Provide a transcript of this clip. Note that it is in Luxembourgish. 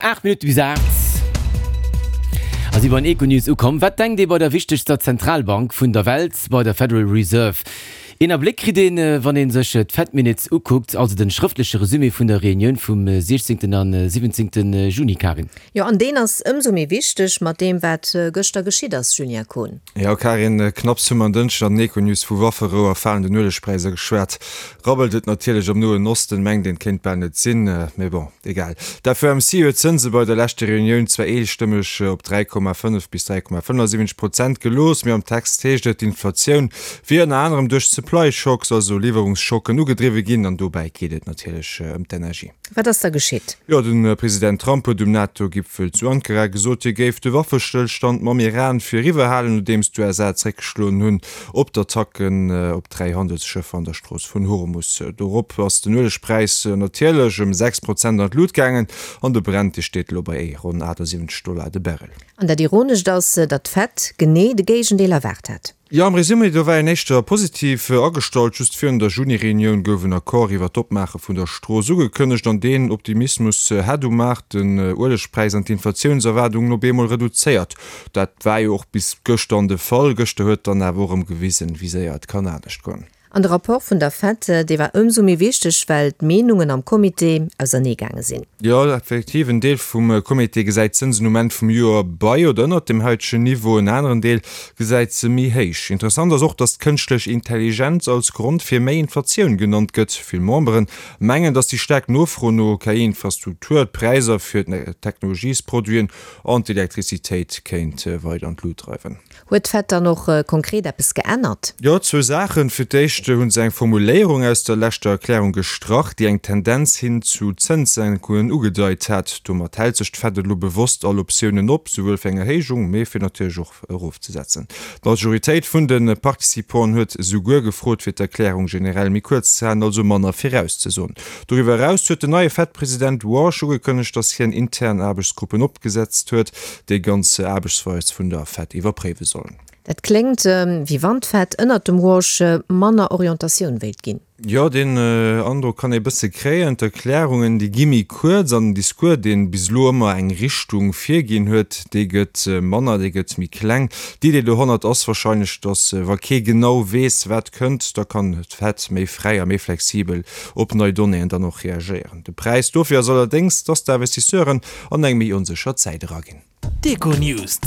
8 Minutte bis 8 a si bei den Econews ukomm. Wat denkt ee bei der wichtegster Zentralbank vun der Welt, bei der Federal Reserve? Een Abléck kritt een, wann ee sech d'Fed Minutes ukuckt, also den schrëftleche Resumé vun der Reunioun vum 16 an 17 Juni, Karin. Jo, an deen ass ëmsou méi wichteg mat deem, wat gëschter geschitt ass, Julien Kohn. Jo, Karin, knapps hu mer en Dënschden an den Econews vu Wafferou a falenden Uelegpräisser geschwat, rabbelt et natierlech am Noen Osten. Mengt een, kéint bal net sinn, mee bon, egal. D'FOMC huet d'Zënse bei der leschter Reunioun zwar eestëmmeg op 3,5 bis 3,75 Prozent gelooss, mee am Text heescht et, d'Inflatioun wier ënner anerem duerch Supply Shocks, also Liwwerungsschocken, ugedriwwe ginn. An dobäi geet et natierlech ëm d'Energie. Wat ass da geschitt? Jo, de President Trump huet um NATO-Gipfel zu Ankara gesot, hie géif de Waffestëllstand mam Iran fir eriwwer halen, nodeems d'USA zeréckgeschloen hunn op d'Attacken op 3 Handelsschëffer an der Strooss vun Hormus. Dorop ass den Uelegpräis natierlech ëm 6 Prozent an d'Lut gaangen an de Brent, dee steet elo bei ronn 78 Dollar de Barrel. An dat Ironescht ass, datt d'Fed genee de Géigendeel erwaart hat. Jo, am Resumé, do war een éischter positiv agestallt. Just virun der Juni-Reunioun gouf en Accord iwwer d'Opmaache vun der Strooss ugekënnegt an deen Optimismus hätt um Maart den Uelegpräis an d'Inflatiounserwaardungen op eemol reduzéiert. Dat war jo och bis gëschter de Fall. Gëschter huet dann awer och erëm gewisen, wéi séier et kann anescht goen. An de Rapport vun der Fed, dee war ëmsou méi wichteg, well d'Meenungen am Comité ausernee gaange sinn. Jo, effektiv, en Deel vum Comité gesäit d'Zënsen um Enn vum Joer bei oder ënnert dem haitegen Niveau, en aneren Deel gesäit se méi héich. Interessant ass och, datt d'kënschtlech Intelligenz als Grond fir méi Inflatioun genannt gëtt. Vill Membere mengen, datt déi staark Nofro no KI-Infrastruktur d'Präisser fir d'Technologiesproduiten an d'Elektrizitéit kéint weider an d'Lut dreiwen. Huet d'Fed dann och konkret eppes geännert? Jo, zwou Saachen. Fir d'éischt hu se eng Formuléierung aus der leschter Erklärung gestrach, déi eng Tendenz hin zu Zënssenkungen ugedeit hat. Domat hält sech d'Fed elo bewosst all Optiounen op, souwuel fir eng Erhéijung, mee fir natierlech och erofzesetzen. D'Majoritéit vun de Participanten huet souguer gefrot, fir d'Erklärung generell méi kuerz ze halen, also manner virauszesoen. Doriwwer eraus huet den neie Fed-President Warsh ugekënnegt, datt hien intern Aarbechtsgruppen opgesetzt huet, déi ganz Aarbechtsweis vun der Fed iwwerpréiwe sollen. Dat kléngt, wéi wann d'Fed ënnert dem Warsh manner Orientatioun wéilt ginn. Jo, deen Androck kann ee bësse kréien. D'Erklärungen, déi gi méi kuerz an den Discours, dee bis elo ëmmer eng Richtung virginn huet, dee gëtt manner, dee gëtt méi kleng. D'Idee dohannert ass warscheinlech, datt wa kee genau weess, wat kënnt, da kann d'Fed méi fräi a méi flexibel op nei Donnéeën dann och reagéieren. De Präis dofir ass allerdéngs, dass d'Investisseuren an eng méi onsécher Zäit eraginn. D'Econews.